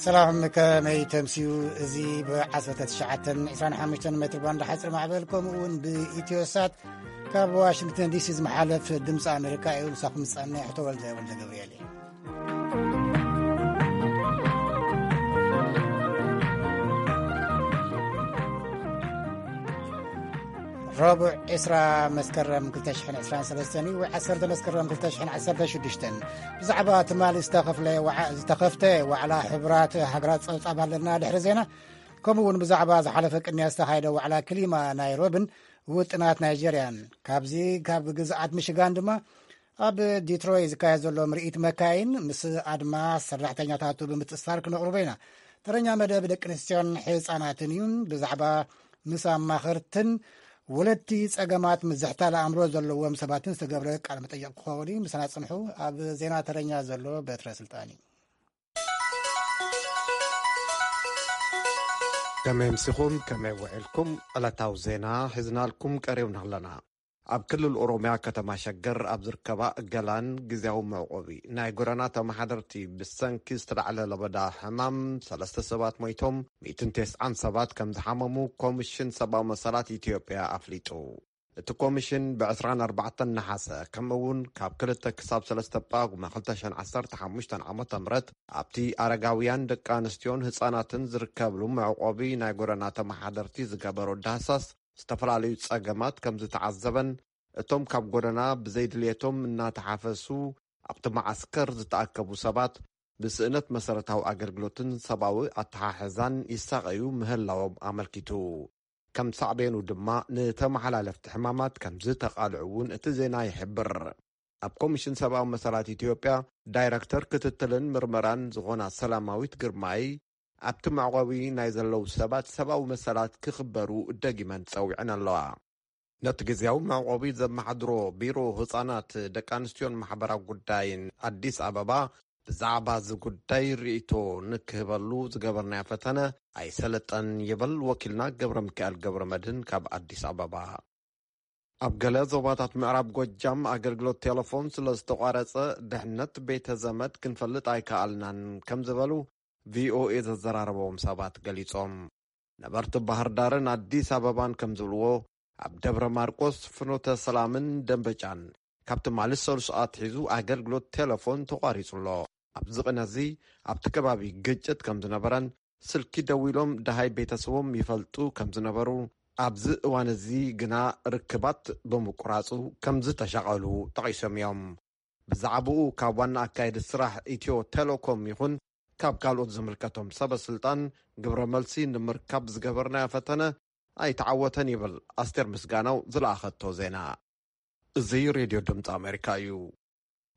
ሰላም፣ ከመይ ተምስዩ? እዚ ብ19 25 ሜትር ባንድ ሓፂር ማዕበል ከምኡ እውን ብኢትዮሳት ካብ ዋሽንግተን ዲሲ ዝመሓለፍ ድምፂ ኣሜሪካ እዩ። ምሳኹም ዝፀንሕ ተወልደ ወልደ ገብርኤል እዩ። ረቡዕ ዕስራ መስከረም ክልተ ሽሕን ዕስራን ሰለስተን እዩ፣ ወይ ዓሰርተ መስከረም ክልተ ሽሕን ዓሰርተ ሽዱሽተን። ብዛዕባ ትማሊ ዝተኸፍለ ዋዓ-፣ ዝተኸፍተ ዋዕላ ሕቡራት ሃገራት ጸብጻብ ኣለና። ድሕሪ ዜና፣ ከምኡ እውን ብዛዕባ ዝሓለፈ ቅድሚያ ዝተኻየደ ዋዕላ ክሊማ ናይሮብን ውጥናት ናይጀርያን። ካብዚ ካብ ግዝኣት ሚሽጋን ድማ ኣብ ዲትሮይ ዝካየድ ዘሎ ምርኢት መካይን ምስ ኣድማ ሰራሕተኛታቱ ብምትእስሳር ክነቕርቦ ኢና። ተረኛ መደብ ደቂ ኣንስትዮን ህፃናትን እዩ። ብዛዕባ ምስ ኣማኸርትን ወለድቲ ጸገማት ምዝሕታል ኣእምሮ ዘለዎም ሰባትን ዝተገብረ ቃለ መጠይቕ ክኸውን እዩ። ምሳና ጽንሑ። ኣብ ዜና ተረኛ ዘሎ በትረ ስልጣን እዩ። ከመይ ኣምሲኹም፣ ከመይ ውዒልኩም? ዕለታዊ ዜና ሒዝናልኩም ቀሪብና ኣለና። ኣብ ክልል ኦሮምያ ከተማ ሸገር ኣብ ዝርከባ ገላን ግዝያዊ መዕቆቢ ናይ ጎደና ተመሓደርቲ ብሰንኪ ዝተላዕለ ለበዳ ሕማም ሰለስተ ሰባት ሞይቶም፣ ሚእትን ተስዓን ሰባት ከም ዝሓመሙ ኮሚሽን ሰብኣዊ መሰላት ኢትዮጵያ ኣፍሊጡ። እቲ ኮሚሽን ብ24 ነሓሰ፣ ከምኡ እውን ካብ ክልተ ክሳብ ሰለስተ ጳጉመ ክልተ ሽሕን ዓሰርተ ሓሙሽተን ዓመተ ምህረት ኣብቲ ኣረጋውያን፣ ደቂ ኣንስትዮን ህፃናትን ዝርከብሉ መዕቆቢ ናይ ጎደና ተመሓደርቲ ዝገበሮ ዳህሳስ ዝተፈላለዩ ጸገማት ከም ዝተዓዘበን፣ እቶም ካብ ጎደና ብዘይድልየቶም እናተሓፈሱ ኣብቲ መዓስከር ዝተኣከቡ ሰባት ብስእነት መሰረታዊ ኣገልግሎትን ሰብኣዊ ኣተሓሕዛን ይሳቐዩ ምህላዎም ኣመልኪቱ። ከም ሳዕቤኑ ድማ ንተመሓላለፍቲ ሕማማት ከም ዝተቓልዑ እውን እቲ ዜና ይሕብር። ኣብ ኮሚሽን ሰብኣዊ መሰላት ኢትዮጵያ ዳይረክተር ክትትልን ምርመራን ዝኾና ሰላማዊት ግርማይ፣ ኣብቲ መዕቆቢ ናይ ዘለዉ ሰባት ሰብኣዊ መሰላት ክኽበሩ ደጊመን ጸዊዐን ኣለዋ። ነቲ ግዝያዊ መዕቆቢ ዘመሓድሮ ቢሮ ህጻናት፣ ደቂ ኣንስትዮን ማሕበራዊ ጉዳይን ኣዲስ ኣበባ ብዛዕባ እዚ ጉዳይ ርእይቶ ንክህበሉ ዝገበርናዮ ፈተነ ኣይሰለጠን ይብል ወኪልና ገብረ ሚካኤል ገብረ መድህን ካብ ኣዲስ ኣበባ። ኣብ ገለ ዞባታት ምዕራብ ጎጃም ኣገልግሎት ቴሌፎን ስለ ዝተቋረጸ፣ ድሕነት ቤተ ዘመድ ክንፈልጥ ኣይከኣልናን ከም ዝበሉ ቪኦኤ ዘዘራረቦም ሰባት ገሊጾም። ነበርቲ ባህር ዳርን ኣዲስ ኣበባን ከም ዝብልዎ፣ ኣብ ደብረ ማርቆስ፣ ፍኖተ ሰላምን ደንበጫን ካብ ትማሊ ሰሉስ ኣትሒዙ ኣገልግሎት ቴሌፎን ተቋሪጹ ኣሎ። ኣብዚ ቅነ እዚ ኣብቲ ከባቢ ግጭት ከም ዝነበረን ስልኪ ደዊሎም ደሃይ ቤተሰቦም ይፈልጡ ከም ዝነበሩ፣ ኣብዚ እዋን እዚ ግና ርክባት ብምቁራጹ ከም ዝተሻቐሉ ጠቒሶም እዮም። ብዛዕባኡ ካብ ዋና ኣካየዲ ስራሕ ኢትዮ ቴሌኮም ይኹን ካብ ካልኦት ዝምልከቶም ሰበ ስልጣን ግብረ መልሲ ንምርካብ ዝገበርናዮ ፈተነ ኣይተዓወተን ይብል ኣስቴር ምስጋናው ዝለኣኸቶ ዜና። እዚ ሬድዮ ድምፂ ኣሜሪካ እዩ።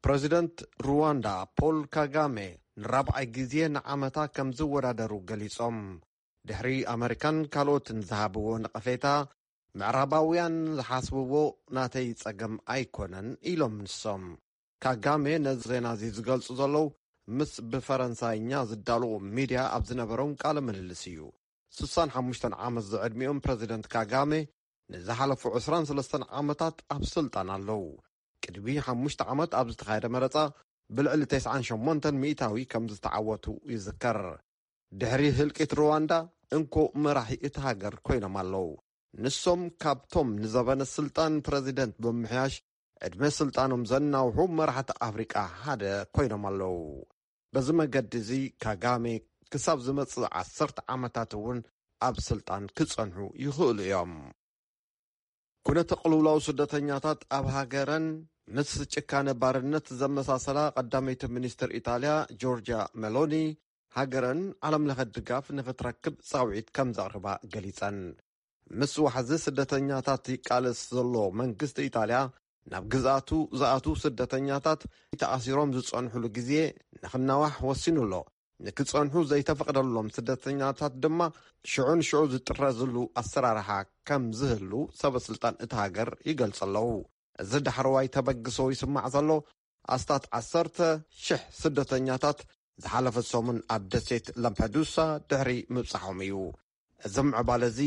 ፕረዚደንት ሩዋንዳ ፖል ካጋሜ ንራብዓይ ግዜ ንዓመታ ከም ዝወዳደሩ ገሊጾም። ድሕሪ ኣመሪካን ካልኦትን ዝሃብዎ ነቐፌታ፣ ምዕራባውያን ዝሓስብዎ ናተይ ጸገም ኣይኮነን ኢሎም ንሶም። ካጋሜ ነዚ ዜና እዚ ዝገልጹ ዘለዉ ምስ ብፈረንሳይኛ ዝዳለዉ ሚድያ ኣብ ዝነበሮም ቃለ ምልልስ እዩ። ስሳን ሓሙሽተን ዓመት ዝዕድሚኦም ፕረዚደንት ካጋሜ ንዝሓለፉ ዕስራን ሰለስተን ዓመታት ኣብ ስልጣን ኣለዉ። ቅድሚ ሓሙሽተ ዓመት ኣብ ዝተኻየደ መረጻ ብልዕሊ ተስዓን ሸሞንተን ሚእታዊ ከም ዝተዓወቱ ይዝከር። ድሕሪ ህልቂት ሩዋንዳ እንኮ መራሒ እቲ ሃገር ኮይኖም ኣለዉ። ንሶም ካብቶም ንዘበነ ስልጣን ፕረዚደንት ብምምሕያሽ ዕድመ ስልጣኖም ዘናውሑ መራሕቲ ኣፍሪቃ ሓደ ኮይኖም ኣለዉ። በዚ መገዲ እዚ ካጋሜ ክሳብ ዝመጽእ ዓሰርተ ዓመታት እውን ኣብ ስልጣን ክጸንሑ ይኽእሉ እዮም። ኩነተ ቅልውላው ስደተኛታት ኣብ ሃገረን ምስ ጭካነ ባርነት ዘመሳሰላ ቀዳመይቲ ሚኒስትር ኢጣልያ ጆርጂያ ሜሎኒ፣ ሃገረን ዓለም ለኸ ድጋፍ ንኽትረክብ ጻውዒት ከም ዘቕርባ ገሊጸን። ምስ ዋሕዚ ስደተኛታት ይቃለስ ዘሎ መንግስቲ ኢጣልያ፣ ናብ ግዝኣቱ ዝኣትዉ ስደተኛታት ተኣሲሮም ዝጸንሑሉ ግዜ ንኽናዋሕ ወሲኑ ኣሎ። ንክጸንሑ ዘይተፈቕደሎም ስደተኛታት ድማ ሽዑ ንሽዑ ዝጥረዝሉ ኣሰራርሓ ከም ዝህሉ ሰበ ስልጣን እቲ ሃገር ይገልጹ ኣለዉ። እዚ ዳሕረዋይ ተበግሶ ይስማዕ ዘሎ፣ ኣስታት ዓሰርተ ሽሕ ስደተኛታት ዝሓለፈ ሰሙን ኣብ ደሴት ላምፐዱሳ ድሕሪ ምብጻሖም እዩ። እዚ ምዕባለ እዚ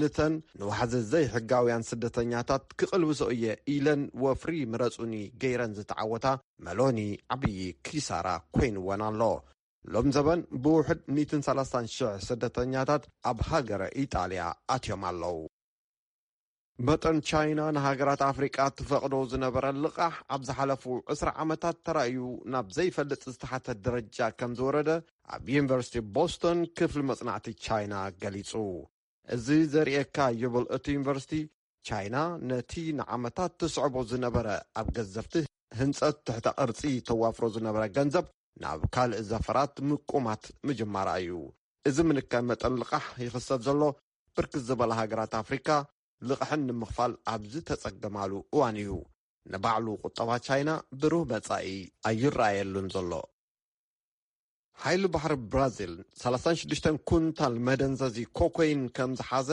ንተን ንዋሕዚ ዘይሕጋውያን ስደተኛታት ክቕልብሶ እየ ኢለን ወፍሪ ምረጹኒ ገይረን ዝተዓወታ መሎኒ ዓብዪ ኪሳራ ኮይንወን ኣሎ። ሎም ዘበን ብውሕድ ሚእትን ሰላሳን ሽሕ ስደተኛታት ኣብ ሃገረ ኢጣልያ ኣትዮም ኣለዉ። መጠን ቻይና ንሃገራት ኣፍሪቃ ትፈቕዶ ዝነበረ ልቓሕ ኣብ ዝሓለፉ ዕስራ ዓመታት ተራእዩ ናብ ዘይፈልጥ ዝተሓተ ደረጃ ከም ዝወረደ ኣብ ዩኒቨርሲቲ ቦስቶን ክፍሊ መጽናዕቲ ቻይና ገሊጹ። እዚ ዘርእየካ ይብል እቲ ዩኒቨርሲቲ፣ ቻይና ነቲ ንዓመታት ትስዕቦ ዝነበረ ኣብ ገዘፍቲ ህንጸት ትሕተ ቅርጺ ተዋፍሮ ዝነበረ ገንዘብ ናብ ካልእ ዘፈራት ምቁማት ምጅማራ እዩ። እዚ ምንካይ መጠን ልቓሕ ይኽሰት ዘሎ ብርክት ዝበላ ሃገራት ኣፍሪካ ልቕሐን ንምኽፋል ኣብ ዝተጸገማሉ እዋን እዩ። ንባዕሉ ቁጠባ ቻይና ብሩህ መጻኢ ኣይረኣየሉን ዘሎ። ሓይሊ ባሕሪ ብራዚል ሰላሳን ሽዱሽተን ኩንታል መደንዘዚ ኮኮይን ከም ዝሓዘ፣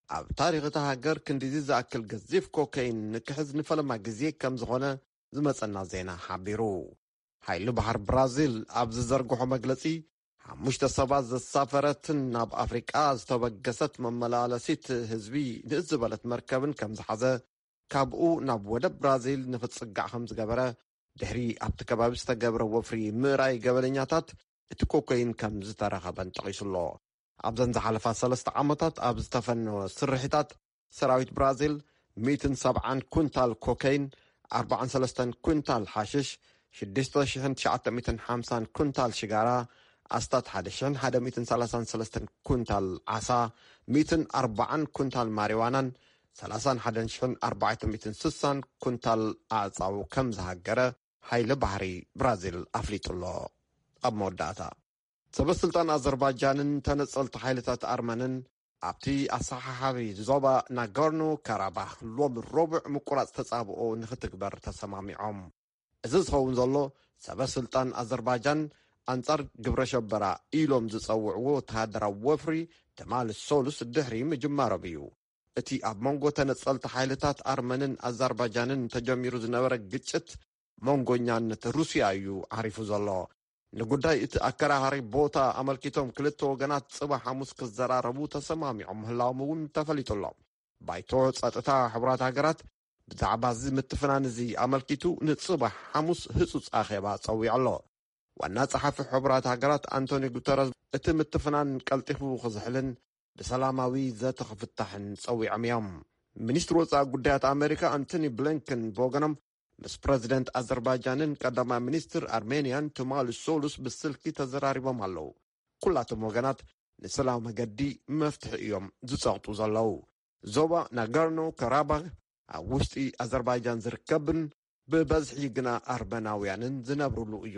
ኣብ ታሪኽ እታ ሃገር ክንዲዚ ዝኣክል ገዚፍ ኮኮይን ንክሕዝ ንፈለማ ግዜ ከም ዝኾነ ዝመጸና ዜና ሓቢሩ። ሓይሊ ባሕሪ ብራዚል ኣብ ዝዘርግሖ መግለጺ፣ ሓሙሽተ ሰባት ዘሳፈረትን ናብ ኣፍሪቃ ዝተበገሰት መመላለሲት ህዝቢ ንእስ ዝበለት መርከብን ከም ዝሓዘ፣ ካብኡ ናብ ወደብ ብራዚል ንኽጽጋዕ ከም ዝገበረ፣ ድሕሪ ኣብቲ ከባቢ ዝተገብረ ወፍሪ ምእራይ ገበነኛታት እቲ ኮኮይን ከም ዝተረኸበን ጠቒሱ ኣሎ። ኣብዘን ዝሓለፋ ሰለስተ ዓመታት ኣብ ዝተፈነወ ስርሒታት፣ ሰራዊት ብራዚል ሚእትን ሰብዓን ኩንታል ኮከይን፣ ኣርባዓን ሰለስተን ኩንታል ሓሽሽ፣ ሽዱሽተ ሽሕን ትሽዓተ ሚእትን ሓምሳን ኩንታል ሽጋራ፣ ኣስታት ሓደ ሽሕን ሓደ ሚእትን ሰላሳን ሰለስተን ኩንታል ዓሳ፣ ሚእትን ኣርባዓን ኩንታል ማሪዋናን ሰላሳን ሓደን ሽሕን ኣርባዕተ ሚእትን ስሳን ኩንታል ኣዕጻው ከም ዝሃገረ ሓይሊ ባሕሪ ብራዚል ኣፍሊጡ ኣሎ። ኣብ መወዳእታ፣ ሰበ ስልጣን ኣዘርባይጃንን ተነጸልቲ ሓይልታት ኣርመንን ኣብቲ ኣሰሓሓቢ ዞባ ናጎርኖ ካራባኽ ሎሚ ረቡዕ ምቁራጽ ተጻብኦ ንኽትግበር ተሰማሚዖም። እዚ ዝኸውን ዘሎ፣ ሰበ ስልጣን ኣዘርባይጃን ኣንጻር ግብረ ሸበራ ኢሎም ዝጸውዕዎ ወተሃደራዊ ወፍሪ ትማሊ ሰሉስ ድሕሪ ምጅማሮም እዩ። እቲ ኣብ መንጎ ተነጸልቲ ሓይልታት ኣርመንን ኣዘርባይጃንን ተጀሚሩ ዝነበረ ግጭት መንጎኛነት ሩስያ እዩ ዓሪፉ ዘሎ። ንጉዳይ እቲ ኣከራኻሪ ቦታ ኣመልኪቶም ክልተ ወገናት ጽባሕ ሓሙስ ክዘራረቡ ተሰማሚዖም ምህላዎም እውን ተፈሊጡ ኣሎ። ባይቶ ጸጥታ ሕቡራት ሃገራት ብዛዕባ እዚ ምትፍናን እዚ ኣመልኪቱ ንጽባሕ ሓሙስ ህጹጽ ኣኼባ ጸዊዑ ኣሎ። ዋና ጸሓፊ ሕቡራት ሃገራት ኣንቶኒ ጉተረዝ እቲ ምትፍናን ቀልጢፉ ክዝሕልን ብሰላማዊ ዘተ ክፍታሕን ጸዊዖም እዮም። ሚኒስትሪ ወጻኢ ጉዳያት ኣሜሪካ ኣንቶኒ ብሊንከን ብወገኖም ምስ ፕረዚደንት ኣዘርባይጃንን ቀዳማይ ሚኒስትር ኣርሜንያን ትማሊ ሰሉስ ብስልኪ ተዘራሪቦም ኣለዉ። ኩላቶም ወገናት ንሰላም መገዲ መፍትሒ እዮም ዝጸቕጡ ዘለዉ። ዞባ ናጋርኖ ካራባኽ ኣብ ውሽጢ ኣዘርባይጃን ዝርከብን ብበዝሒ ግና ኣርመናውያንን ዝነብሩሉ እዩ።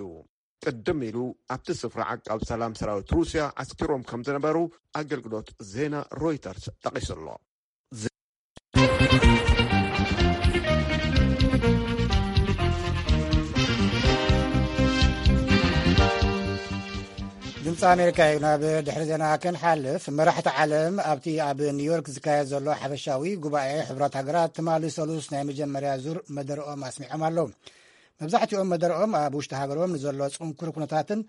ቅድም ኢሉ ኣብቲ ስፍራ ዓቃብ ሰላም ሰራዊት ሩስያ ዓስኪሮም ከም ዝነበሩ ኣገልግሎት ዜና ሮይተርስ ጠቒሱ ኣሎ። ድምፂ ኣሜሪካ እዩ። ናብ ድሕሪ ዜና ክንሓልፍ፣ መራሕቲ ዓለም ኣብቲ ኣብ ኒውዮርክ ዝካየድ ዘሎ ሓፈሻዊ ጉባኤ ሕቡራት ሃገራት ትማሊ ሰሉስ ናይ መጀመርያ ዙር መደረኦም ኣስሚዖም ኣለዉ። መብዛሕትኦም መደረኦም ኣብ ውሽጢ ሃገሮም ንዘሎ ጽንኩር ኩነታትን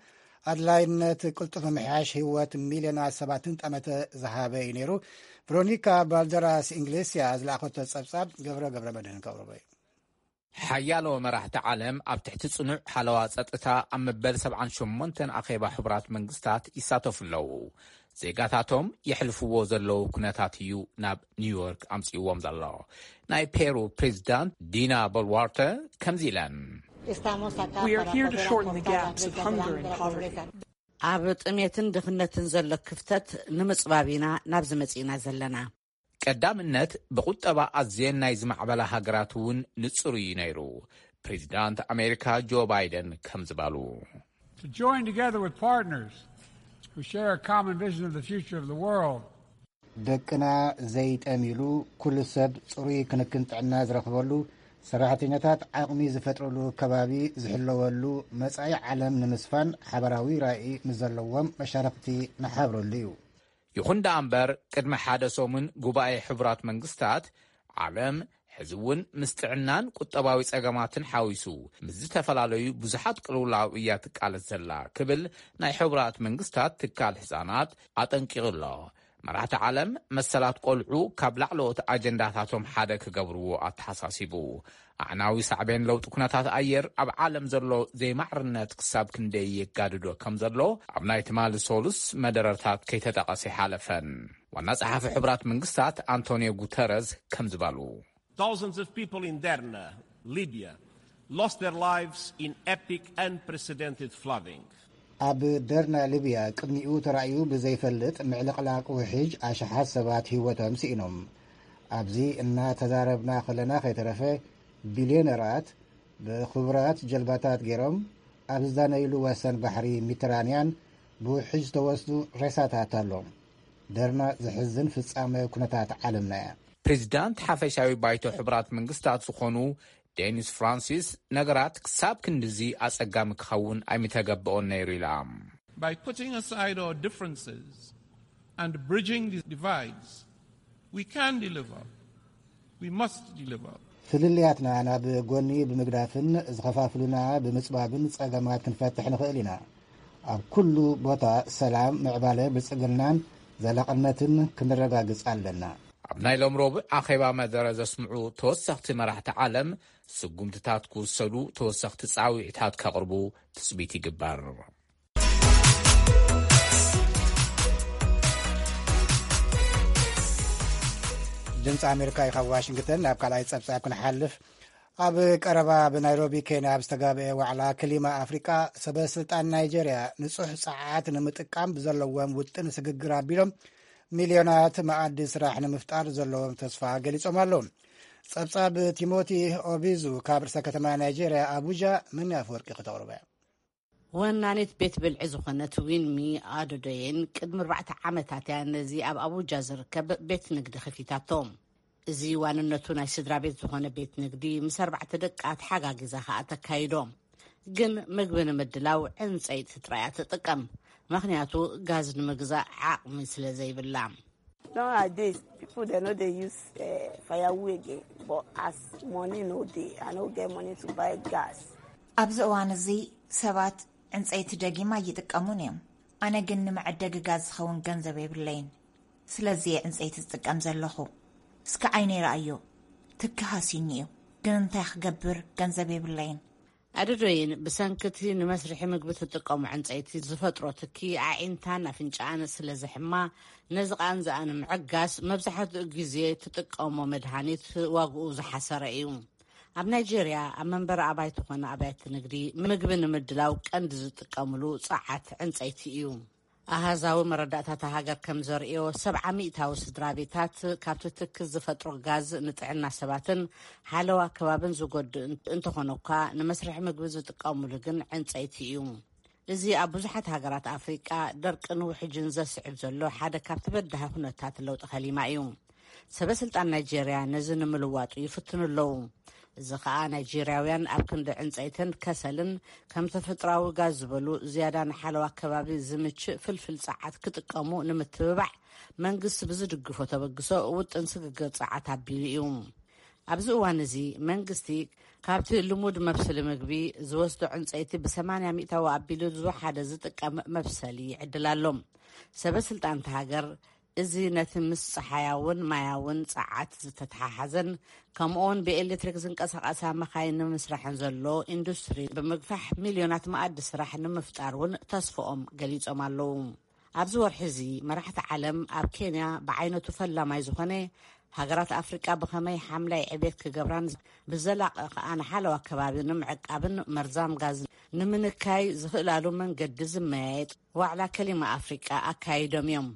ኣድላይነት ቅልጡፍ ምምሕያሽ ህይወት ሚልዮናት ሰባትን ጠመተ ዝሃበ እዩ ነይሩ። ቨሮኒካ ባልደራስ ኢንግሌስያ ዝለኣኸቶ ጸብጻብ ገብረ ገብረ መድህን ከቕርቦ እዩ። ሓያሎ መራሕቲ ዓለም ኣብ ትሕቲ ጽኑዕ ሓለዋ ጸጥታ ኣብ መበል ሰብዓን ሸሞንተን ኣኼባ ሕቡራት መንግስታት ይሳተፉ ኣለዉ። ዜጋታቶም የሕልፍዎ ዘለዉ ኩነታት እዩ ናብ ኒውዮርክ ኣምጺእዎም ዘሎ። ናይ ፔሩ ፕሬዚዳንት ዲና ቦልዋርተ ከምዚ ኢለን። ኣብ ጥሜትን ድኽነትን ዘሎ ክፍተት ንምጽባብ ኢና ናብዚ መጺእና ዘለና። ቀዳምነት ብቁጠባ ኣዝየን ናይ ዝማዕበላ ሃገራት እውን ንጹር እዩ ነይሩ። ፕሬዚዳንት ኣሜሪካ ጆ ባይደን ከምዚ በሉ። To join together with partners who share a common vision of the future of the world. ደቅና ዘይጠምይሉ፣ ኩሉ ሰብ ጽሩይ ክንክን ጥዕና ዝረኽበሉ፣ ሰራሕተኛታት ዓቕሚ ዝፈጥርሉ ከባቢ ዝሕለወሉ መጻኢ ዓለም ንምስፋን ሓባራዊ ራኢ ምስ ዘለዎም መሻርኽቲ ንሓብረሉ እዩ። ይኹን ደኣ እምበር ቅድሚ ሓደ ሰሙን ጉባኤ ሕቡራት መንግስታት ዓለም ሕዚ እውን ምስ ጥዕናን ቁጠባዊ ጸገማትን ሓዊሱ ምስ ዝተፈላለዩ ብዙሓት ቅልውላው እያ ትቃለስ ዘላ ክብል ናይ ሕቡራት መንግስታት ትካል ህጻናት ኣጠንቂቑ ኣሎ። መራሕቲ ዓለም መሰላት ቆልዑ ካብ ላዕለዎት ኣጀንዳታቶም ሓደ ክገብርዎ ኣተሓሳሲቡ። ኣዕናዊ ሳዕቤን ለውጢ ኩነታት ኣየር ኣብ ዓለም ዘሎ ዘይማዕርነት ክሳብ ክንደይ የጋድዶ ከም ዘሎ ኣብ ናይ ትማሊ ሶሉስ መደረታት ከይተጠቐሰ ይሓለፈን። ዋና ጸሓፊ ሕቡራት መንግስታት ኣንቶኒዮ ጉተረዝ ከም ዝበሉ፣ Thousands of people in Derna, Libya, lost their lives in epic, unprecedented flooding. ኣብ ደርና ሊብያ ቅድሚኡ ተራእዩ ብዘይፈልጥ ምዕልቕላቕ ውሕጅ ኣሽሓት ሰባት ህይወቶም ስኢኖም። ኣብዚ እናተዛረብና ከለና ከይተረፈ ቢልዮነራት ብኽቡራት ጀልባታት ገይሮም ኣብ ዝዛነይሉ ወሰን ባሕሪ ሚድተራንያን ብውሕጅ ዝተወስዱ ሬሳታት ኣሎ። ደርና ዘሕዝን ፍጻመ ኩነታት ዓለምና እያ። ፕሬዚዳንት ሓፈሻዊ ባይቶ ሕቡራት መንግስታት ዝኾኑ ዴኒስ ፍራንሲስ፣ ነገራት ክሳብ ክንድዚ ኣጸጋሚ ክኸውን ኣይምተገበኦን ነይሩ ኢላ። By putting aside our differences and bridging these divides, we can deliver. We must deliver. ፍልልያትና ናብ ጎኒ ብምግዳፍን ዝኸፋፍሉና ብምጽባብን ጸገማት ክንፈትሕ ንኽእል ኢና። ኣብ ኩሉ ቦታ ሰላም፣ ምዕባለ፣ ብልጽግናን ዘላቕነትን ክንረጋግጽ ኣለና። ኣብ ናይ ሎም ረቡዕ ኣኼባ መደረ ዘስምዑ ተወሰኽቲ መራሕቲ ዓለም፣ ስጉምትታት ክውሰዱ፣ ተወሰኽቲ ጻውዒታት ከቕርቡ ትጽቢት ይግበር። ድምፂ ኣሜሪካ እዩ ካብ ዋሽንግተን። ናብ ካልኣይ ጸብጻብ ክንሓልፍ፣ ኣብ ቀረባ ኣብ ናይሮቢ ኬንያ ኣብ ዝተጋብአ ዋዕላ ክሊማ ኣፍሪቃ፣ ሰበ ስልጣን ናይጄርያ ንጹሕ ጸዓት ንምጥቃም ብዘለዎም ውጥን ስግግር ኣቢሎም ሚልዮናት መኣዲ ስራሕ ንምፍጣር ዘለዎም ተስፋ ገሊጾም ኣለዉ። ጸብጻብ ቲሞቲ ኦቢዙ ካብ ርእሰ ከተማ ናይጄርያ ኣቡጃ፣ መን ኣፈወርቂ ክተቕርበ። ወናኒት ቤት ብልዒ ዝኾነት ዊንሚ ኣዶዶየን ቅድሚ ኣርባዕተ ዓመታት እያ ነዚ ኣብ ኣቡጃ ዝርከብ ቤት ንግዲ ከፊታቶ። እዚ ዋንነቱ ናይ ስድራ ቤት ዝኾነ ቤት ንግዲ ምስ ኣርባዕተ ደቃ ተሓጋጊዛ ከኣ ተካይዶ። ግን ምግቢ ንምድላው ዕንጸይቲ ጥራይ እያ ትጥቀም፣ ምኽንያቱ ጋዝ ንምግዛእ ዓቕሚ ስለ ዘይብላ። Nowadays, people they no dey use uh, firewood again, but as money no dey, I no get money to buy gas. ኣብዚ እዋን እዚ ሰባት ዕንጸይቲ ደጊም ኣይጥቀሙን እዮም። ኣነ ግን ንመዐደጊ ጋዝ ዝኸውን ገንዘብ የብለይን። ስለዚ እየ ዕንጸይቲ ዝጥቀም ዘለኹ። እስከ ዓይነይ ረኣዮ፣ ትኪ ሃስዩኒ እዩ። ግን እንታይ ክገብር፣ ገንዘብ የብለይን። ኣደዶይን ብሰንኪ እቲ ንመስርሒ ምግቢ ትጥቀሞ ዕንጸይቲ ዝፈጥሮ ትኪ ኣዒንታን ኣፍንጭኣን ስለ ዘሕማ፣ ነዚ ቃንዝኣ ንምዕጋስ መብዛሕትኡ ግዜ ትጥቀሞ መድሃኒት ዋግኡ ዝሓሰረ እዩ። ኣብ ናይጀርያ ኣብ መንበሪ ኣባይቲ ኮነ ኣብያተ ንግዲ ምግቢ ንምድላው ቀንዲ ዝጥቀምሉ ጸዓት ዕንጸይቲ እዩ። ኣሃዛዊ መረዳእታ እታ ሃገር ከም ዘርእዮ፣ ሰብዓ ሚእታዊ ስድራ ቤታት ካብቲ ትኪ ዝፈጥሮ ጋዝ ንጥዕና ሰባትን ሓለዋ ከባብን ዝጎድእ እንተኾነ እኳ፣ ንመስርሒ ምግቢ ዝጥቀምሉ ግን ዕንጸይቲ እዩ። እዚ ኣብ ብዙሓት ሃገራት ኣፍሪቃ ደርቅን ውሕጅን ዘስዕብ ዘሎ ሓደ ካብቲ በዳሂ ኩነታት ለውጢ ከሊማ እዩ። ሰበ ስልጣን ናይጄርያ ነዚ ንምልዋጡ ይፍትኑ ኣለዉ። እዚ ከኣ ናይጄርያውያን ኣብ ክንዲ ዕንጸይትን ከሰልን ከም ተፈጥሮኣዊ ጋዝ ዝበሉ ዝያዳ ንሓለዋ ከባቢ ዝምችእ ፍልፍል ጸዓት ክጥቀሙ ንምትብባዕ መንግስቲ ብዝድግፎ ተበግሶ ውጥን ስግግር ጸዓት ኣቢሉ እዩ። ኣብዚ እዋን እዚ መንግስቲ ካብቲ ልሙድ መብስሊ ምግቢ ዝወስዶ ዕንጸይቲ ብ80 ሚእታዊ ኣቢሉ ዝወሓደ ዝጥቀም መብሰሊ ይዕድል ኣሎ። ሰበ ስልጣን እታ ሃገር እዚ ነቲ ምስ ጸሓያውን ማያውን ጸዓት ዝተተሓሓዘን ከምኡውን ብኤሌክትሪክ ዝንቀሳቐሳ መኻይን ንምስራሕን ዘሎ ኢንዱስትሪ ብምግፋሕ ሚልዮናት መኣዲ ስራሕ ንምፍጣር እውን ተስፍኦም ገሊጾም ኣለዉ። ኣብዚ ወርሒ እዚ መራሕቲ ዓለም ኣብ ኬንያ ብዓይነቱ ፈላማይ ዝኾነ ሃገራት ኣፍሪቃ ብኸመይ ሓምላይ ዕቤት ክገብራን ብዘላቒ ከኣ ንሓለዋ ከባቢ ንምዕቃብን መርዛም ጋዝ ንምንካይ ዝኽእላሉ መንገዲ ዝመያየጥ ዋዕላ ከሊማ ኣፍሪቃ ኣካይዶም እዮም።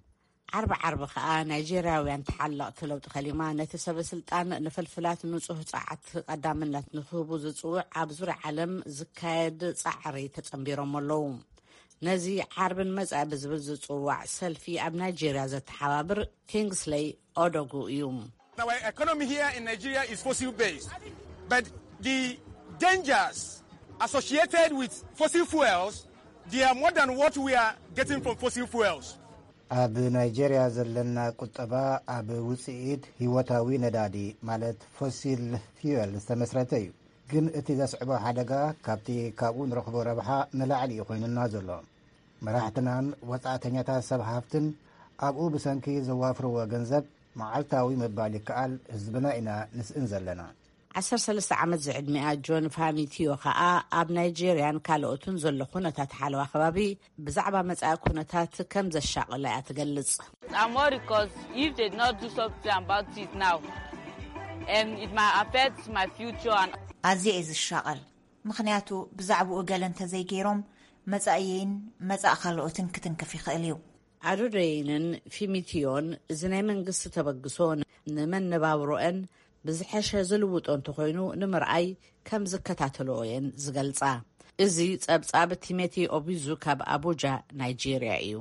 ዓርቢ ዓርቢ ከኣ ናይጀርያውያን ተሓለቕቲ ለውጢ ከሊማ ነቲ ሰበ ስልጣን ንፍልፍላት ንጹህ ጸዓት ቀዳምነት ንክህቡ ዝጽውዕ ኣብ ዙርያ ዓለም ዝካየድ ጻዕሪ ተጸንቢሮም ኣለዉ። ነዚ ዓርብን መጻኢ ብዝብል ዝጽዋዕ ሰልፊ ኣብ ናይጀርያ ዘተሓባብር ኪንግስለይ ኦዶጉ እዩ። Our economy here in Nigeria is fossil based, but the dangers associated with fossil fuels, they are more than what we are getting from fossil fuels. ኣብ ናይጀርያ ዘለና ቁጠባ ኣብ ውፅኢት ህይወታዊ ነዳዲ ማለት ፎሲል ፊወል ዝተመስረተ እዩ። ግን እቲ ዘስዕቦ ሓደጋ ካብቲ ካብኡ ንረኽቦ ረብሓ ንላዕሊ እዩ ኮይኑና ዘሎ። መራሕትናን ወፃእተኛታት ሰብ ሃፍትን ኣብኡ ብሰንኪ ዘዋፍርዎ ገንዘብ መዓልታዊ ምባል ይከኣል ህዝብና ኢና ንስእን ዘለና። ዓሰርተ ሰለስተ ዓመት ዝዕድሚኣ ጆን ፋሚቲዮ ከኣ ኣብ ናይጄርያን ካልኦትን ዘሎ ኩነታት ሓለዋ ከባቢ ብዛዕባ መጻኢ ኩነታት ከም ዘሻቕላ እያ ትገልጽ። I'm worried because if they not do something about it now, um, it might affect my future and ኣዝየ እየ ዝሻቐል፣ ምኽንያቱ ብዛዕባኡ ገለ እንተዘይገይሮም መጻእየይን መጻእ ካልኦትን ክትንክፍ ይኽእል እዩ። ኣዶደይንን ፊሚትዮን እዚ ናይ መንግስቲ ተበግሶ ንመነባብሮአን ብዝሐሸ ዝልውጦ እንተኾይኑ ንምርኣይ ከም ዝከታተልኦ እየን ዝገልጻ። እዚ ጸብጻብ ቲሜቲ ኦቢዙ ካብ ኣቡጃ ናይጄርያ እዩ።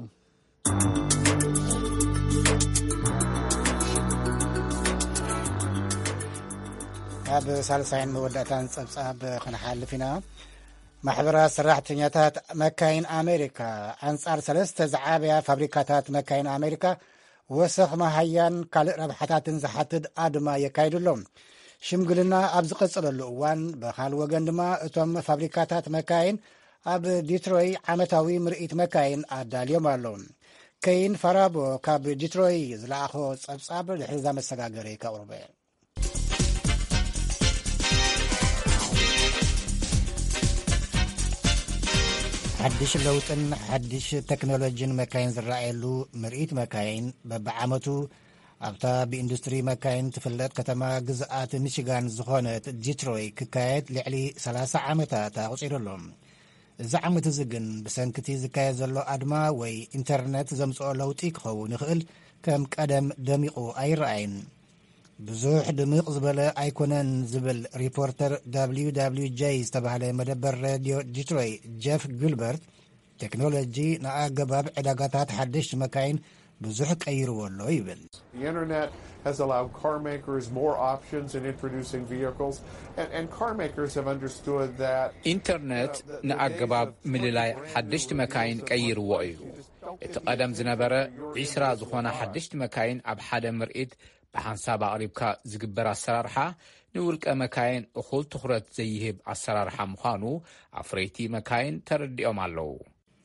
ኣብ ሳልሳይን መወዳእታን ጸብጻብ ክንሓልፍ ኢና። ማሕበራት ሰራሕተኛታት መካይን ኣሜሪካ ኣንጻር ሰለስተ ዝዓበያ ፋብሪካታት መካይን ኣሜሪካ ወሰኽ መሃያን ካልእ ረብሓታትን ዝሓትት ኣድማ የካይዱ ኣለዉ። ሽምግልና ኣብ ዝቐጸለሉ እዋን፣ ብኻል ወገን ድማ እቶም ፋብሪካታት መካይን ኣብ ዲትሮይ ዓመታዊ ምርኢት መካይን ኣዳልዮም ኣለዉ። ከይን ፋራቦ ካብ ዲትሮይ ዝለኣኾ ጸብጻብ ድሕሪ እዛ መሰጋገሪ ከቕርበ። ሓድሽ ለውጥን ሓድሽ ቴክኖሎጂን መካይን ዝረኣየሉ ምርኢት መካይን በብዓመቱ ኣብታ ብኢንዱስትሪ መካይን ትፍለጥ ከተማ ግዝኣት ሚሽጋን ዝኾነት ዲትሮይ ክካየድ ልዕሊ ሰላሳ ዓመታት ኣቑጺሩ ኣሎ። እዚ ዓመት እዚ ግን ብሰንክቲ ዝካየድ ዘሎ ኣድማ ወይ ኢንተርነት ዘምጽኦ ለውጢ ክኸውን ይኽእል፣ ከም ቀደም ደሚቑ ኣይረኣይን። ብዙሕ ድምቕ ዝበለ ኣይኮነን ዝብል ሪፖርተር ደብሊው ደብሊው ጀይ ዝተባህለ መደበር ሬድዮ ዲትሮይ ጀፍ ጊልበርት፣ ቴክኖሎጂ ንኣገባብ ዕዳጋታት ሓደሽቲ መካይን ብዙሕ ቀይርዎ ኣሎ ይብል። The internet has allowed car makers more options in introducing vehicles, and, and car makers have understood that ኢንተርነት ንኣገባብ ምልላይ ሓደሽቲ መካይን ቀይርዎ እዩ። እቲ ቀደም ዝነበረ ዒስራ ዝኾና ሓደሽቲ መካይን ኣብ ሓደ ምርኢት ብሓንሳብ ኣቕሪብካ ዝግበር ኣሰራርሓ፣ ንውልቀ መካይን እኹል ትኹረት ዘይህብ ኣሰራርሓ ምዃኑ ኣፍረይቲ መካይን ተረዲኦም ኣለዉ።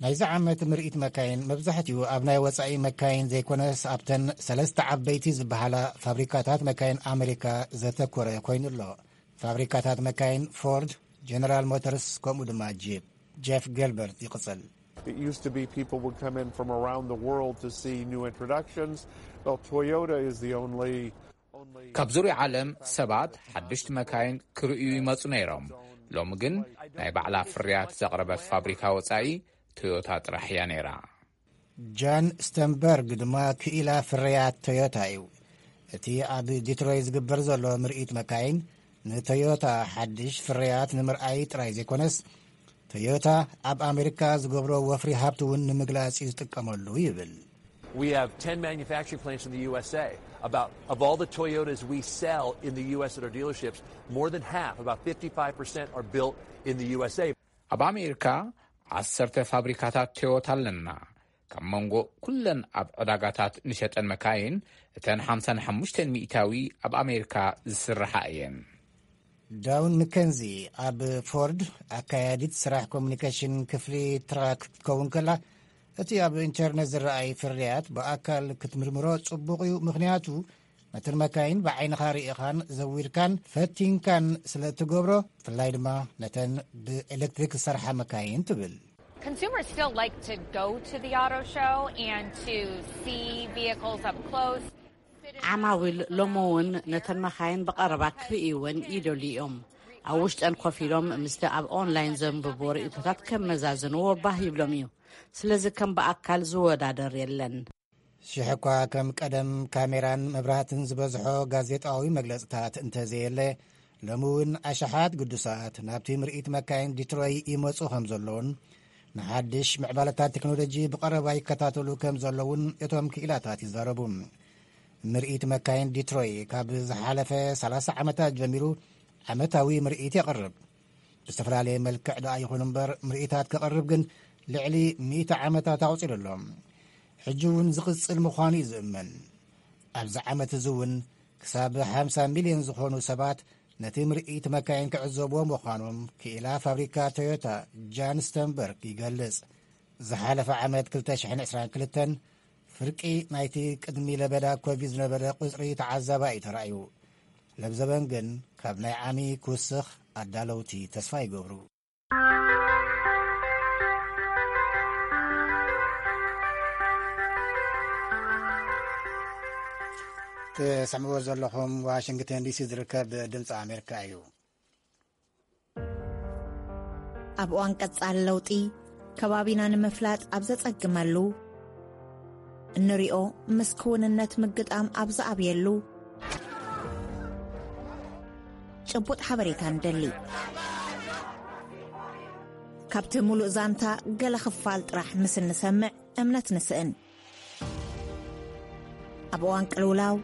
ናይዚ ዓመት ምርኢት መካይን መብዛሕትኡ ኣብ ናይ ወጻኢ መካይን ዘይኮነስ ኣብተን ሰለስተ ዓበይቲ ዝበሃላ ፋብሪካታት መካይን ኣሜሪካ ዘተኮረ ኮይኑ ኣሎ። ፋብሪካታት መካይን ፎርድ፣ ጀነራል ሞተርስ ከምኡ ድማ ጂፕ። ጀፍ ጊልበርት ይቕጽል። It used to be people would come in from around the world to see new introductions. Well, Toyota is the only, only ካብ ዙርያ ዓለም ሰባት ሓደሽቲ መካይን ክርእዩ ይመጹ ነይሮም። ሎሚ ግን ናይ ባዕላ ፍርያት ዘቕረበት ፋብሪካ ወጻኢ ቶዮታ ጥራሕ እያ ነይራ። ጃን ስተንበርግ ድማ ክኢላ ፍርያት ቶዮታ እዩ። እቲ ኣብ ዲትሮይ ዝግበር ዘሎ ምርኢት መካይን ንቶዮታ ሓድሽ ፍርያት ንምርኣይ ጥራይ ዘይኮነስ፣ ቶዮታ ኣብ ኣሜሪካ ዝገብሮ ወፍሪ ሃብቲ እውን ንምግላጽ እዩ ዝጥቀመሉ ይብል። We have ten manufacturing plants in the U S A. About, of all the Toyotas we sell in the U S at our dealerships, more than half, about fifty-five percent, are built in the U S A. ኣብ ኣሜሪካ ዓሰርተ ፋብሪካታት ቶዮታ ኣለና። ካብ መንጎ ኩለን ኣብ ዕዳጋታት ንሸጠን መካይን፣ እተን ሓምሳን ሓሙሽተን ሚእታዊ ኣብ ኣሜሪካ ዝስርሓ እየን። ዳውን ምከንዚ ኣብ ፎርድ ኣካያዲት ስራሕ ኮሙኒኬሽን ክፍሊ ትራክ ክትከውን ከላ፣ እቲ ኣብ ኢንተርነት ዝረኣይ ፍርያት ብኣካል ክትምርምሮ ጽቡቕ እዩ፣ ምኽንያቱ ነተን መካይን ብዓይንኻ ርኢኻን ዘዊርካን ፈቲንካን ስለ እትገብሮ፣ ብፍላይ ድማ ነተን ብኤሌክትሪክ ዝሰርሓ መካይን ትብል። Consumers still like to go to the auto show and to see vehicles up close. ዓማዊል ሎሚ እውን ነተን መኻይን ብቐረባ ክርእይወን ይደልዩ እዮም። ኣብ ውሽጠን ኮፍ ኢሎም ምስቲ ኣብ ኦንላይን ዘንብብዎ ርእይቶታት ከመዛዝንዎ ባህ ይብሎም እዩ። ስለዚ ከም ብኣካል ዝወዳደር የለን። ሽሕ እኳ ከም ቀደም ካሜራን መብራህትን ዝበዝሖ ጋዜጣዊ መግለጽታት እንተዘየለ፣ ሎሚ እውን ኣሽሓት ግዱሳት ናብቲ ምርኢት መካይን ዲትሮይ ይመጹ ከም ዘለውን ንሓድሽ ምዕባለታት ቴክኖሎጂ ብቐረባ ይከታተሉ ከም ዘለውን እቶም ክኢላታት ይዛረቡ። ምርኢት መካይን ዲትሮይ ካብ ዝሓለፈ ሰላሳ ዓመታት ጀሚሩ ዓመታዊ ምርኢት የቕርብ። ብዝተፈላለየ መልክዕ ደኣ ይኹን እምበር፣ ምርኢታት ከቕርብ ግን ልዕሊ ሚእቲ ዓመታት ኣቑጺሩ ኣሎ። ሕጂ እውን ዝቕጽል ምዃኑ እዩ ዝእመን። ኣብዚ ዓመት እዚ እውን ክሳብ ሓምሳ ሚልዮን ዝኾኑ ሰባት ነቲ ምርኢት መካይን ክዕዘብዎ ምዃኖም ክኢላ ፋብሪካ ቶዮታ ጃን ስተንበርግ ይገልጽ። ዝሓለፈ ዓመት ክልተ ሽሕን ዕስራን ክልተን ፍርቂ ናይቲ ቅድሚ ለበዳ ኮቪድ ዝነበረ ቁጽሪ ተዓዛባይ እዩ ተራእዩ። ለብዘበን ግን ካብ ናይ ዓሚ ክውስኽ ኣዳለውቲ ተስፋ ይገብሩ። ትሰምዕዎ ዘለኹም ዋሽንግተን ዲሲ ዝርከብ ድምፂ ኣሜሪካ እዩ። ኣብ እዋን ቀጻሊ ለውጢ፣ ከባቢና ንምፍላጥ ኣብ ዘጸግመሉ፣ እንሪኦ ምስ ክውንነት ምግጣም ኣብ ዝኣብየሉ፣ ጭቡጥ ሓበሬታ ንደሊ። ካብቲ ሙሉእ ዛንታ ገለ ክፋል ጥራሕ ምስ እንሰምዕ እምነት ንስእን። ኣብ እዋን ቅልውላው፣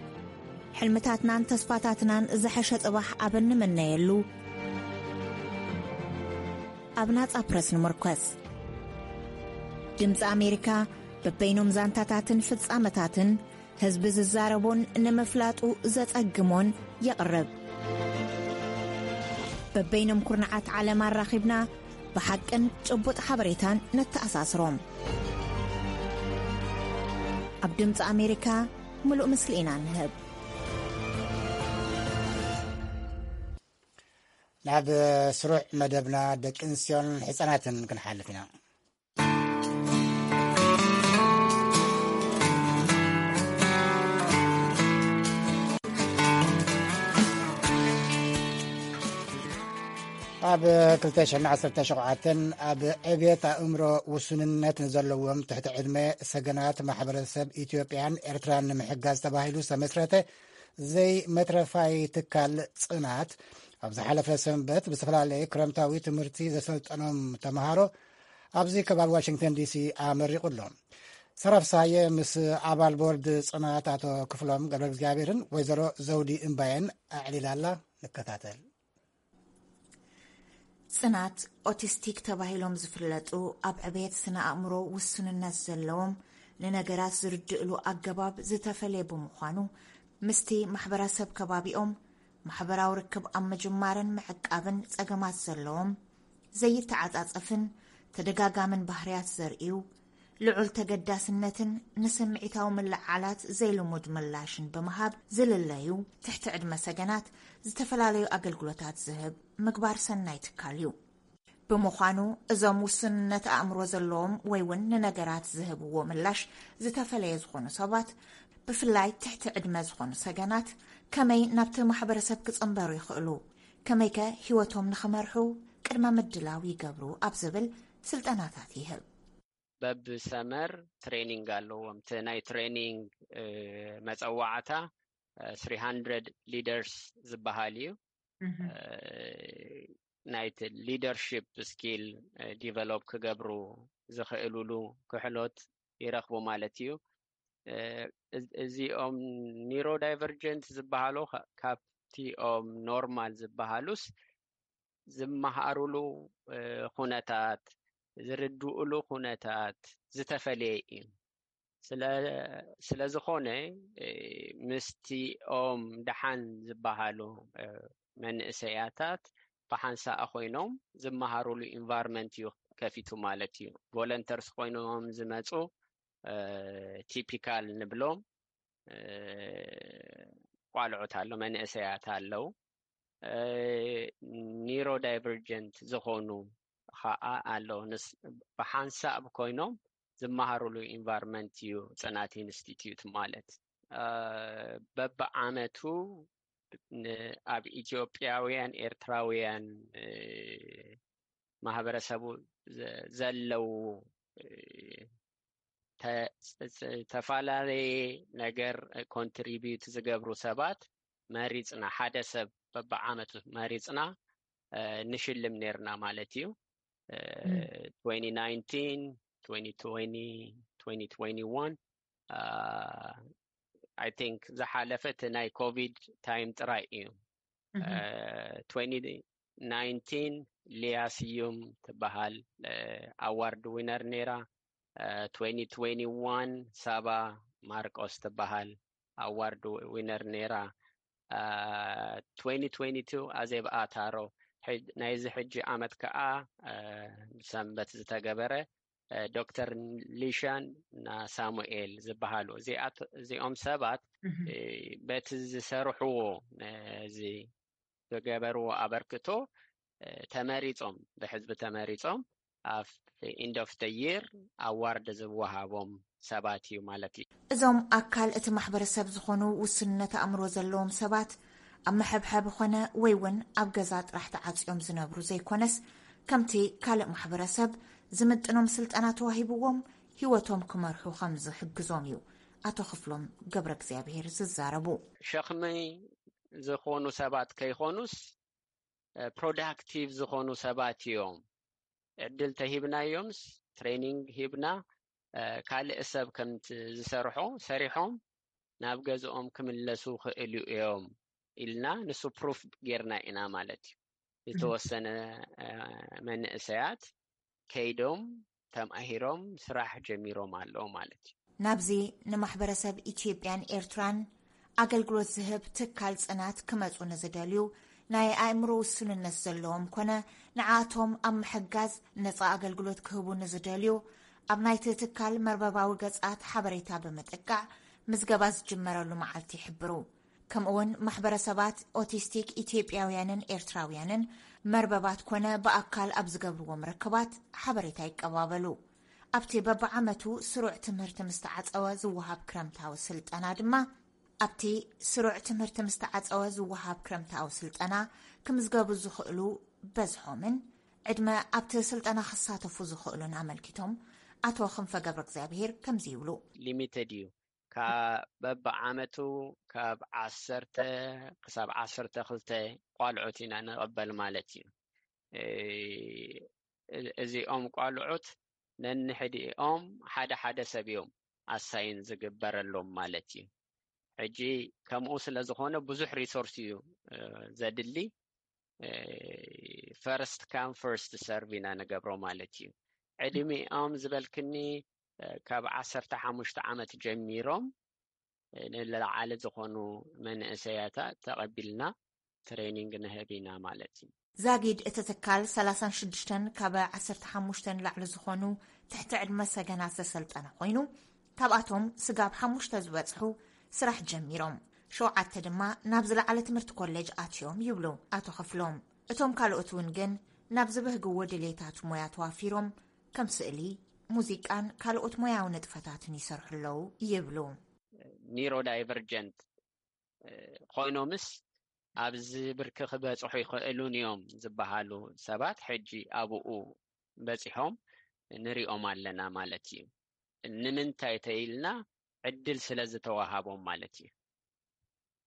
ሕልምታትናን ተስፋታትናን ዝሐሸ ጽባሕ ኣብ እንምነየሉ፣ ኣብ ናጻ ፕረስ ንምርኮስ። ድምጺ ኣሜሪካ በበይኖም ዛንታታትን ፍጻመታትን ህዝቢ ዝዛረቦን ንምፍላጡ ዘጸግሞን የቕርብ። በበይኖም ኩርናዓት ዓለም ኣራኺብና ብሓቅን ጭቡጥ ሓበሬታን ነተኣሳስሮም። ኣብ ድምፂ ኣሜሪካ ምሉእ ምስሊ ኢና ንህብ። ናብ ስሩዕ መደብና ደቂ ኣንስትዮን ሕፃናትን ክንሓልፍ ኢና። ኣብ ክልተ ሽሕን ዓሰርተ ሸውዓተን ኣብ ዕብየት ኣእምሮ ውሱንነት ንዘለዎም ትሕቲ ዕድመ ሰገናት ማሕበረሰብ ኢትዮጵያን ኤርትራን ንምሕጋዝ ተባሂሉ ዝተመስረተ ዘይመትረፋይ ትካል ጽናት፣ ኣብ ዝሓለፈ ሰንበት ብዝተፈላለየ ክረምታዊ ትምህርቲ ዘሰልጠኖም ተምሃሮ ኣብዚ ከባቢ ዋሽንግተን ዲሲ ኣመሪቑ ኣሎ። ሰራፍሳየ ምስ ኣባል ቦርድ ጽናት ኣቶ ክፍሎም ገብረ እግዚኣብሔርን ወይዘሮ ዘውዲ እምባየን ኣዕሊላላ። ንከታተል። ጽናት ኦቲስቲክ ተባሂሎም ዝፍለጡ፣ ኣብ ዕብየት ስነ ኣእምሮ ውሱንነት ዘለዎም፣ ንነገራት ዝርድእሉ ኣገባብ ዝተፈለየ ብምዃኑ፣ ምስቲ ማሕበረሰብ ከባቢኦም ማሕበራዊ ርክብ ኣብ ምጅማርን ምዕቃብን ጸገማት ዘለዎም፣ ዘይተዓጻጸፍን ተደጋጋምን ባህርያት ዘርእዩ፣ ልዑል ተገዳስነትን ንስምዒታዊ ምልዕዓላት ዘይልሙድ ምላሽን ብምሃብ ዝልለዩ ትሕቲ ዕድመ ሰገናት ዝተፈላለዩ ኣገልግሎታት ዝህብ ምግባር ሰናይ ትካል እዩ። ብምዃኑ እዞም ውሱንነት ኣእምሮ ዘለዎም ወይ እውን ንነገራት ዝህብዎ ምላሽ ዝተፈለየ ዝኾኑ ሰባት፣ ብፍላይ ትሕቲ ዕድመ ዝኾኑ ሰገናት፣ ከመይ ናብቲ ማሕበረሰብ ክጽንበሩ ይኽእሉ? ከመይከ ህይወቶም ንኽመርሑ ቅድመ ምድላው ይገብሩ? ኣብ ዝብል ስልጠናታት ይህብ። በብሰመር ትሬኒንግ ኣለዎም። እቲ ናይ ትሬኒንግ፣ እ፣ መጸዋዕታ፣ እ፣ ስሪ ሃንድረድ ሊደርስ ዝበሃል እዩ። እ፣ ናይቲ ሊደርሺፕ ስኪል፣ እ፣ ዲቨሎፕ ክገብሩ ዝኽእሉሉ ክሕሎት ይረኽቡ ማለት እዩ። እ፣ እዚ-፣ እዚኦም ኒውሮ ዳይቨርጀንት ዝበሃሉ ካ-፣ ካብቲኦም ኖርማል ዝበሃሉስ ዝመሃሩሉ፣ እ፣ ኩነታት፣ ዝርድኡሉ ኩነታት ዝተፈለየ እዩ። ስለ፣ ስለ ዝኾነ፣ እ፣ ምስቲኦም ደሓን ዝበሃሉ፣ እ፣ መንእሰያታት ብሓንሳእ ኮይኖም ዝመሃሩሉ ኢንቫይሮንመንት እዩ ከፊቱ ማለት እዩ። ቮለንተርስ ኮይኖም ዝመጹ፣ እ፣ ቲፒካል ንብሎም፣ እ፣ ቋልዑት ኣሎ፣ መንእሰያት ኣለዉ። እ፣ ኒውሮ ዳይቨርጀንት ዝኾኑ ኸኣ ኣለዉ። ንስ-፣ ብሓንሳብ ኮይኖም ዝመሃሩሉ ኢንቫይሮንመንት እዩ ጽናት ኢንስቲትዩት ማለት። እ፣ በብዓመቱ ን-፣ ኣብ ኢትዮጵያውያን ኤርትራውያን፣ እ፣ ማህበረሰቡ ዘ-፣ ዘለዉ፣ እ፣ ተ-፣ ጸ-፣ ጸ-፣ ተፈላለየ ነገር ኮንትሪቢዩት ዝገብሩ ሰባት መሪጽና፣ ሓደ ሰብ በብዓመቱ መሪጽና፣ እ፣ ንሽልም ኔርና ማለት እዩ። እ፣ ም። ትዌንቲ ናይንቲን፣ ትዌንቲ ትዌንቲ፣ ትዌንቲ ትዌንቲ ዋን፣ እ፣ I think ዝሓለፈ እቲ ናይ ኮቪድ ታይም ጥራይ እዩ። እህ። እ፣ ትዌንቲ ናይንቲን ሊያ ስዩም ትበሃል፣ እ፣ ኣዋርድ ዊነር ነይራ። እ፣ ትዌንቲ ትዌንቲ ዋን ሳባ ማርቆስ ትበሃል ኣዋርድ ዊነር ነይራ። እ፣ ትዌንቲ ትዌንቲ ቱ ኣዜብ ኣታሮ፣ ሕጅ-፣ ናይዚ ሕጂ ዓመት ከኣ፣ እ፣ ሰንበት ዝተገበረ እ፣ ዶክተር ሊሻን እና ሳሙኤል ዝበሃሉ እዚኣት-፣ እዚኦም ሰባት፣ እህ። እ፣ በቲ ዝሰርሕዎ፣ እ፣ እዚ ዝገበርዎ ኣበርክቶ፣ እ፣ ተመሪጾም፣ ብሕዝቢ ተመሪጾም ኣብ end of the year award ዝወሃቦም ሰባት እዩ ማለት እዩ። እዞም ኣካል እቲ ማሕበረሰብ ዝኾኑ ውስንነት ኣእምሮ ዘለዎም ሰባት ኣብ መሐብሐቢ ኾነ ወይ እውን ኣብ ገዛ ጥራሕ ተዓጽዮም ዝነብሩ ዘይኮነስ፣ ከምቲ ካልእ ማሕበረሰብ ዝምጥኖም ስልጠና ተዋሂብዎም ህይወቶም ክመርሑ ከም ዝሕግዞም እዩ ኣቶ ክፍሎም ገብረ እግዚኣብሔር ዝዛረቡ። ሸኽሚ ዝኾኑ ሰባት ከይኾኑስ፣ እ፣ ፕሮዳክቲቭ ዝኾኑ ሰባት እዮም። ዕድል ተሂብናዮምስ፣ ትሬኒንግ ሂብና፣ እ፣ ካልእ ሰብ ከምቲ ዝሰርሖ ሰሪሖም ናብ ገዝኦም ክምለሱ ክእሉ እዮም ኢልና ንሱ ፕሩፍ ጌርና ኢና ማለት እዩ። ዝተወሰነ፣ እ፣ መንእሰያት ከይዶም ተማሂሮም ስራሕ ጀሚሮም ኣለዉ ማለት እዩ። ናብዚ ንማሕበረሰብ ኢትዮጵያን ኤርትራን ኣገልግሎት ዝህብ ትካል ጽናት ክመጹ ንዝደልዩ ናይ ኣእምሮ ውሱንነት ዘለዎም ኮነ ንዓቶም ኣብ ምሕጋዝ ነጻ ኣገልግሎት ክህቡ ንዝደልዩ ኣብ ናይቲ ትካል መርበባዊ ገጻት ሓበሬታ ብምጥቃዕ ምዝገባ ዝጅመረሉ መዓልቲ ይሕብሩ። ከምኡውን ማሕበረሰባት ኦቲስቲክ ኢትዮጵያውያንን ኤርትራውያንን መርበባት ኮነ ብኣካል ኣብ ዝገብርዎም ርክባት ሓበሬታ ይቀባበሉ። ኣብቲ በብዓመቱ ስሩዕ ትምህርቲ ምስ ተዓጸወ ዝወሃብ ክረምታዊ ስልጠና ድማ፣ ኣብቲ ስሩዕ ትምህርቲ ምስ ተዓጸወ ዝወሃብ ክረምታዊ ስልጠና ክምዝገቡ ዝኽእሉ በዝሖምን ዕድመ ኣብቲ ስልጠና ክሳተፉ ዝኽእሉን ኣመልኪቶም ኣቶ ክንፈ ገብረ እግዚኣብሔር ከምዚ ይብሉ። ሊሚትድ እዩ። ካብ በብዓመቱ ካብ ዓሰርተ ክሳብ ዓሰርተ ክልተ ቋልዑት ኢና ንቕበል ማለት እዩ። እ-፣ እዚኦም ቋልዑት ነንሕድኦም ሓደ ሓደ ሰብ እዮም ኣሳይን ዝግበረሎም ማለት እዩ። ሕጂ ከምኡ ስለ ዝኾነ ብዙሕ ሪሶርስ እዩ፣ እ፣ ዘድሊ። እ፣ ፈርስት ካም ፈርስት ሰርቭ ኢና ንገብሮ ማለት እዩ። ዕድሚኦም ዝበልክኒ፣ እ፣ ካብ ዓሰርተ ሓሙሽተ ዓመት ጀሚሮም፣ እ፣ ንላዕሊ ዝኾኑ መንእሰያታት ተቐቢልና ትሬኒንግ ንህብ ኢና ማለት እዩ። ዛጊድ እቲ ትካል ሰላሳን ሽዱሽተን ካብ ዓሰርተ ሓሙሽተ ንላዕሊ ዝኾኑ ትሕቲ ዕድመ ሰገናት ዘሰልጠነ ኮይኑ፣ ካብኣቶም ስጋብ ሓሙሽተ ዝበጽሑ ስራሕ ጀሚሮም፣ ሸውዓተ ድማ ናብ ዝለዓለ ትምህርቲ ኮሌጅ ኣትዮም ይብሉ ኣቶ ክፍሎም። እቶም ካልኦት እውን ግን ናብ ዝብህግዎ ድሌታት ሞያ ተዋፊሮም ከም ስእሊ፣ ሙዚቃን ካልኦት ሞያዊ ንጥፈታትን ይሰርሑ ኣለዉ ይብሉ። ኒሮ ዳይቨርጀንት፣ እ፣ ኮይኖምስ ኣብዚ ብርኪ ክበጽሑ ይኽእሉን እዮም ዝበሃሉ ሰባት ሕጂ ኣብኡ በጺሖም ንሪኦም ኣለና ማለት እዩ። ንምንታይ ተይልና ዕድል ስለ ዝተዋሃቦም ማለት እዩ።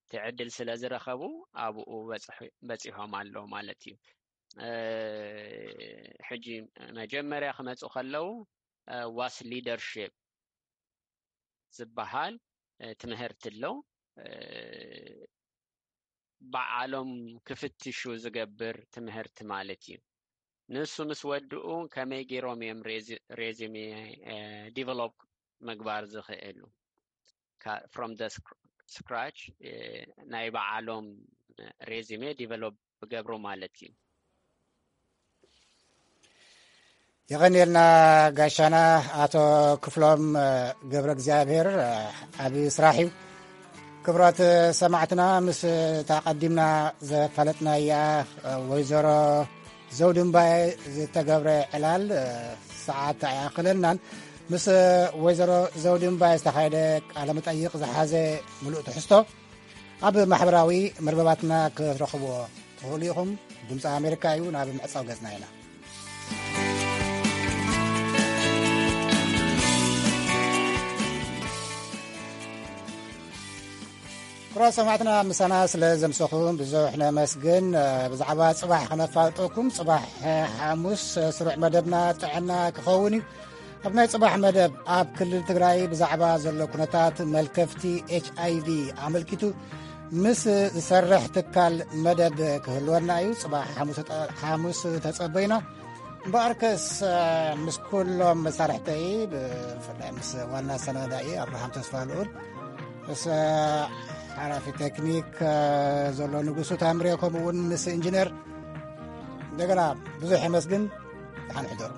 እቲ ዕድል ስለ ዝረኸቡ ኣብኡ በጽሑ-፣ በጺሖም ኣለዉ ማለት እዩ። እ፣ ሕጂ መጀመርያ ክመጹ ከለዉ፣ እ፣ ዋስ ሊደርሺፕ ዝበሃል፣ እ፣ ትምህርቲ ኣሎ። እ፣ በዓሎም ክፍትሹ ዝገብር ትምህርቲ ማለት እዩ። ንሱ ምስ ወድኡ ከመይ ገይሮም እዮም ሬዚ-፣ ሬዚሜ፣ እ፣ ዲቨሎፕ ምግባር ዝኽእሉ? ካ-፣ ፍሮም ደ ስክ-፣ ስክራች፣ እ፣ ናይ በዓሎም ሬዚሜ ዲቨሎፕ ክገብሩ ማለት እዩ። የቐንየልና ጋሻና ኣቶ ክፍሎም፣ እ፣ ገብረ እግዚኣብሔር፣ እ፣ ዓቢ ስራሕ እዩ። ክቡራት ሰማዕትና፣ ምስ እታ ቀዲምና ዘፋለጥናያ፣ እ፣ ወይዘሮ ዘውዲ እምባየ ዝተገብረ ዕላል፣ እ፣ ሰዓት ኣይኣኽለናን። ምስ ወይዘሮ ዘውዲ እምባየ ዝተኻየደ ቃለ መጠይቕ ዝሓዘ ምሉእ ትሕዝቶ ኣብ ማሕበራዊ መርበባትና ክትረኽብዎ ትኽእሉ ኢኹም። ድምፂ ኣሜሪካ እዩ። ናብ ምዕፃው ገፅና ኢና። ክቡራት ሰማዕትና፣ ምሳና ስለ ዘምሰኹም ብዙሕ ነመስግን። ብዛዕባ ጽባሕ ከነፋልጠኩም፣ ጽባሕ ሓሙስ ስሩዕ መደብና ጥዕና ክኸውን እዩ። ኣብ ናይ ጽባሕ መደብ፣ ኣብ ክልል ትግራይ ብዛዕባ ዘሎ ኩነታት መልከፍቲ ኤች ኣይ ቪ ኣመልኪቱ ምስ ዝሰርሕ ትካል መደብ ክህልወና እዩ። ጽባሕ ሓሙስ ተጸ-፣ ሓሙስ ተጸበዩና። እምበኣርከስ፣ ምስ ኩሎም መሳርሕተይ፣ ብፍላይ ምስ ዋና ኣሰናዳኢ ኣብርሃም ተስፋ ልኡል፣ ምስ ሓላፊ ቴክኒክ ዘሎ ንጉሱ ታምሬ፣ ከምኡ እውን ምስ ኢንጂነር፣ እንደገና ብዙሕ የመስግን። ደሓን ሕደሩ።